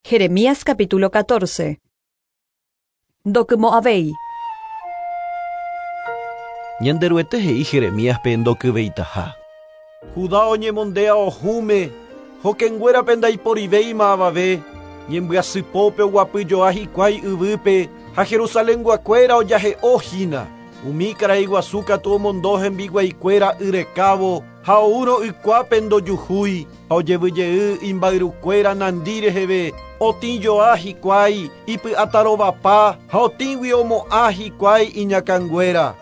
Jeremías capítulo 14. Ndokymo'ãvéi. Ñanderuete he'i Jeremíaspe ndokyveitaha. Judá oñemonde ao hũme, hokẽnguérape ndaiporivéima avave, ñembyasypópe oguapyjoa hikuái yvýpe ha Jerusalenguakuéra ojahe'o hína. Umi karai guasu katu omondo hembiguaikuéra y rekávo ha oúrõ ykuápe ndojuhúi ha ojevyjey imba'yrukuéra nandi reheve, otĩjoa hikuái ipy'atarovapa ha otĩgui omo'ã hikuái iñakãnguéra.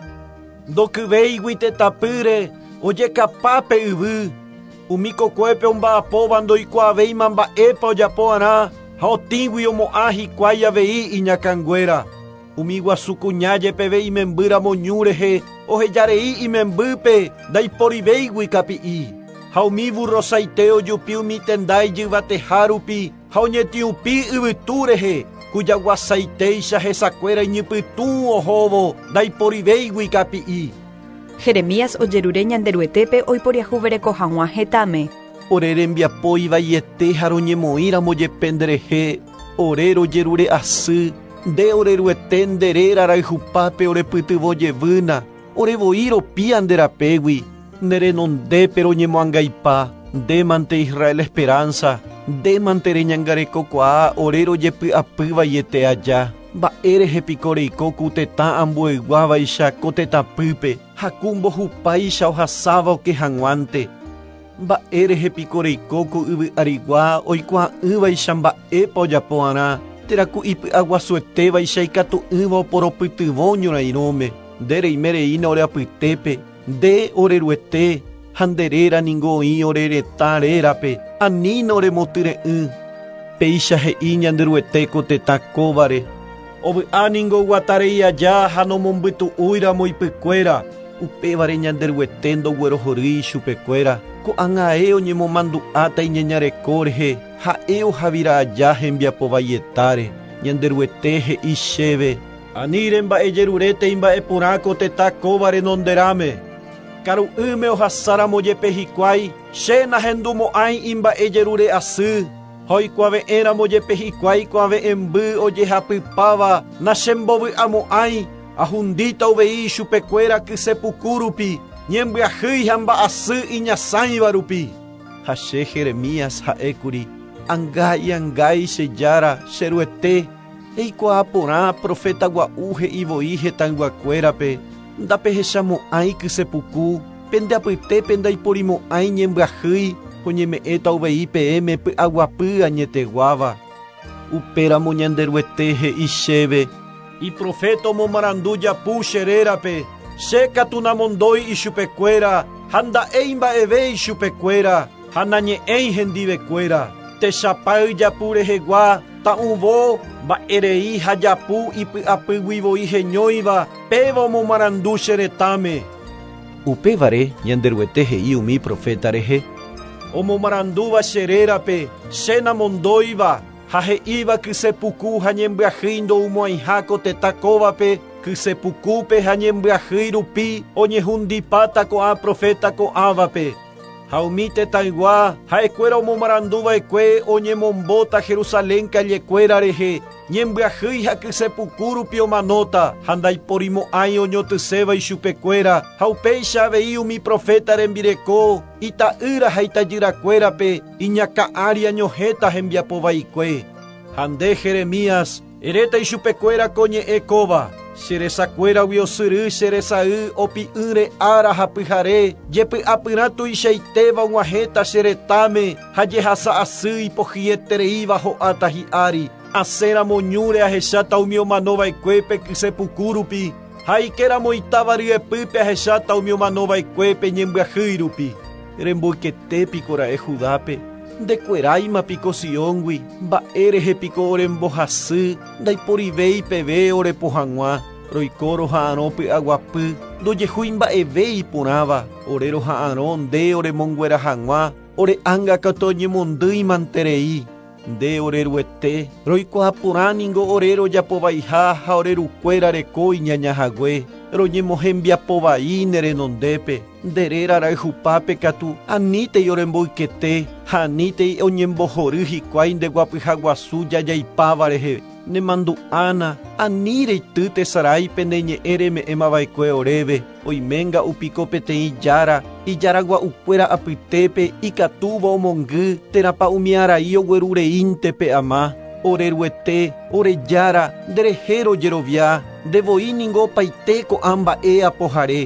Ndokyvéigui tetãpýre ojekapa pe yvy, umi kokuépe omba'apóva ndoikuaavéima mba'épa ojapo'arã ha otĩgui omo'ã hikuái avei iñakãnguéra. Umi guasu kuña jepeve imembýramo ñu rehe ohejarei imembýpe ndaiporivéigui kapi'i. Ha umi burrosaite ojupi umi tenda ijyvateha rupi ha oñetiupi yvytu rehe kujaguasaitéicha hesakuéra iñypytũ ohóvo ndaiporivéigui kapi'i. Jeremías ojerure Ñanderuetépe oiporiahuvereko hag̃ua hetãme. Ore rembiapo ivaiete ha roñemoĩramo jepe nderehe, ore rojerure asy, nde ore Ruete nde réra rayhupápe orepytyvõ jevýna, ore voi ropía nde rapégui, ne renondépe roñemoangaipa, ndémante Israel esperanza, ndémante reñangarekokuaa ore rojepy'apývaiete aja. Mba'érehe piko reiko ku tetã ambueyguávaicha ko tetãpýpe ha ku mbohupáicha ohasáva oke hag̃uánte. Mba'érehe piko reiko ko yvy arigua oikuaa'ỹvaicha mba'épa ojapo'arã, térã ku ipy'aguasuetévaicha ikatu'ỹva oporopytyvõ ñorairõme. Nde reime reína ore apytépe, nde ore Ruete, ha nde réra ningo oĩ ore retã rérape, anína oremotyre'ỹ. Péicha he'i Ñanderuete ko tetã kóvare. Ovy'a ningo oguatarei aja ha nomombytu'úiramo ipykuéra, upévare Ñanderuete ndoguerohorýi ichupekuéra. Ko'ág̃ae oñemomandu'áta iñañareko rehe, ha'e ohavira aja hembiapovaietare. Ñanderuete he'i chéve, Ani remba'ejerurétei mba'eporã ko tetã kóva renonderãme. Karu'ỹme ohasáramo jepe hikuái, che nahendumo'ãi imba'ejerure asy, ha oikuave'ẽramo jepe hikuái kuave'ẽmby ojehapypáva nachembovy'amo'ãi, ahundíta uvei ichupekuéra kysepuku rupi, ñembyahýi ha mba'asy iñasãiva rupi. Ha che Jeremías ha'ékuri, Angái, angái, che Jára, che Ruete, eikuaa porã profeta gua'u he'i voi hetãyguakuérape, ndapehechamo'ãi kysepuku, pende apytépe ndaiporimo'ãi ñembyahýi, oñeme'ẽta uvei peẽme py'aguapy añeteguáva. Upéramo Ñanderuete he'i chéve, Iproféta omomarandu japu che rérape, che katu namondói ichupekuéra ha nda'éi mba'eve ichupekuéra ha nañe'ẽi hendivekuéra. Techapáy japu rehegua, ta'ũvo, mba'erei ha japu ipy'apýgui voi heñóiva, péva omomarandu che retãme. Upévare Ñanderuete he'i umi proféta rehe, Omomarandúva che rérape, che namondóiva, ha he'íva kysepuku ha ñembyahýi ndoumo'ãiha ko tetã kóvape, kysepukúpe ha ñembyahýi rupi oñehundipáta ko'ã proféta ko'ãvape. Ha umi tetãygua, ha'ekuéra omomaranduva'ekue oñemombóta Jerusalén kallekuéra rehe, ñembyahýi ha kysepuku rupi omanóta, ha ndaiporimo'ãi oñotyséva ichupekuéra, ha upéicha avei umi proféta rembireko, ita'ýra ha itajyrakuérape, iñakã ári añohẽta hembiapovaikue. Ha nde, Jeremías, eréta ichupekuéra ko ñe'ẽ kóva, Che resakuéragui osyry che resay opi'ỹre ára ha pyhare, jepy'apyrã tuichaitéva og̃uahẽta che retãme ha jehasa asy ipohyietereíva ho'áta hi'ári. Asẽramo ñúre ahecháta umi omanova'ekuépe kysepuku rupi, ha aikéramo itáva ryepýpe ahecháta umi omanova'ekuépe ñembyahýi rupi. Remboykete piko ra'e Judápe? Ndekueráima piko Sióngui? Mba'e rehe piko orembohasy, ndaiporivéi peve orepo hag̃ua? Roiko roha'arõ py'aguapy, ndojehúi mba'eve iporãva, ore roha'arõ nde oremonguera hag̃ua, ore ánga katu oñemondýi manterei. Nde ore Ruete, roikuaa porã ningo ore rojapovaiha ha ore rukuéra reko iñañahague, roñemohembiapovai ne renondépe. Nde réra rayhupápe katu anítei oremboykete ha anítei oñembohory hikuái nde guapyha guasu jajaipáva rehe. Nemandu'ána ani reity tesaráipe ne ñe'ẽ reme'ẽmava'ekue oréve. Oiménga'u piko peteĩ jára ijaragua'ukuéra apytépe ikatúva omongy térãpa umi arai oguerureínte pe ama. Oreruete, ore jára, nderehe rojerovia, ndevoi ningo opaite ko'ã mba'e apohare.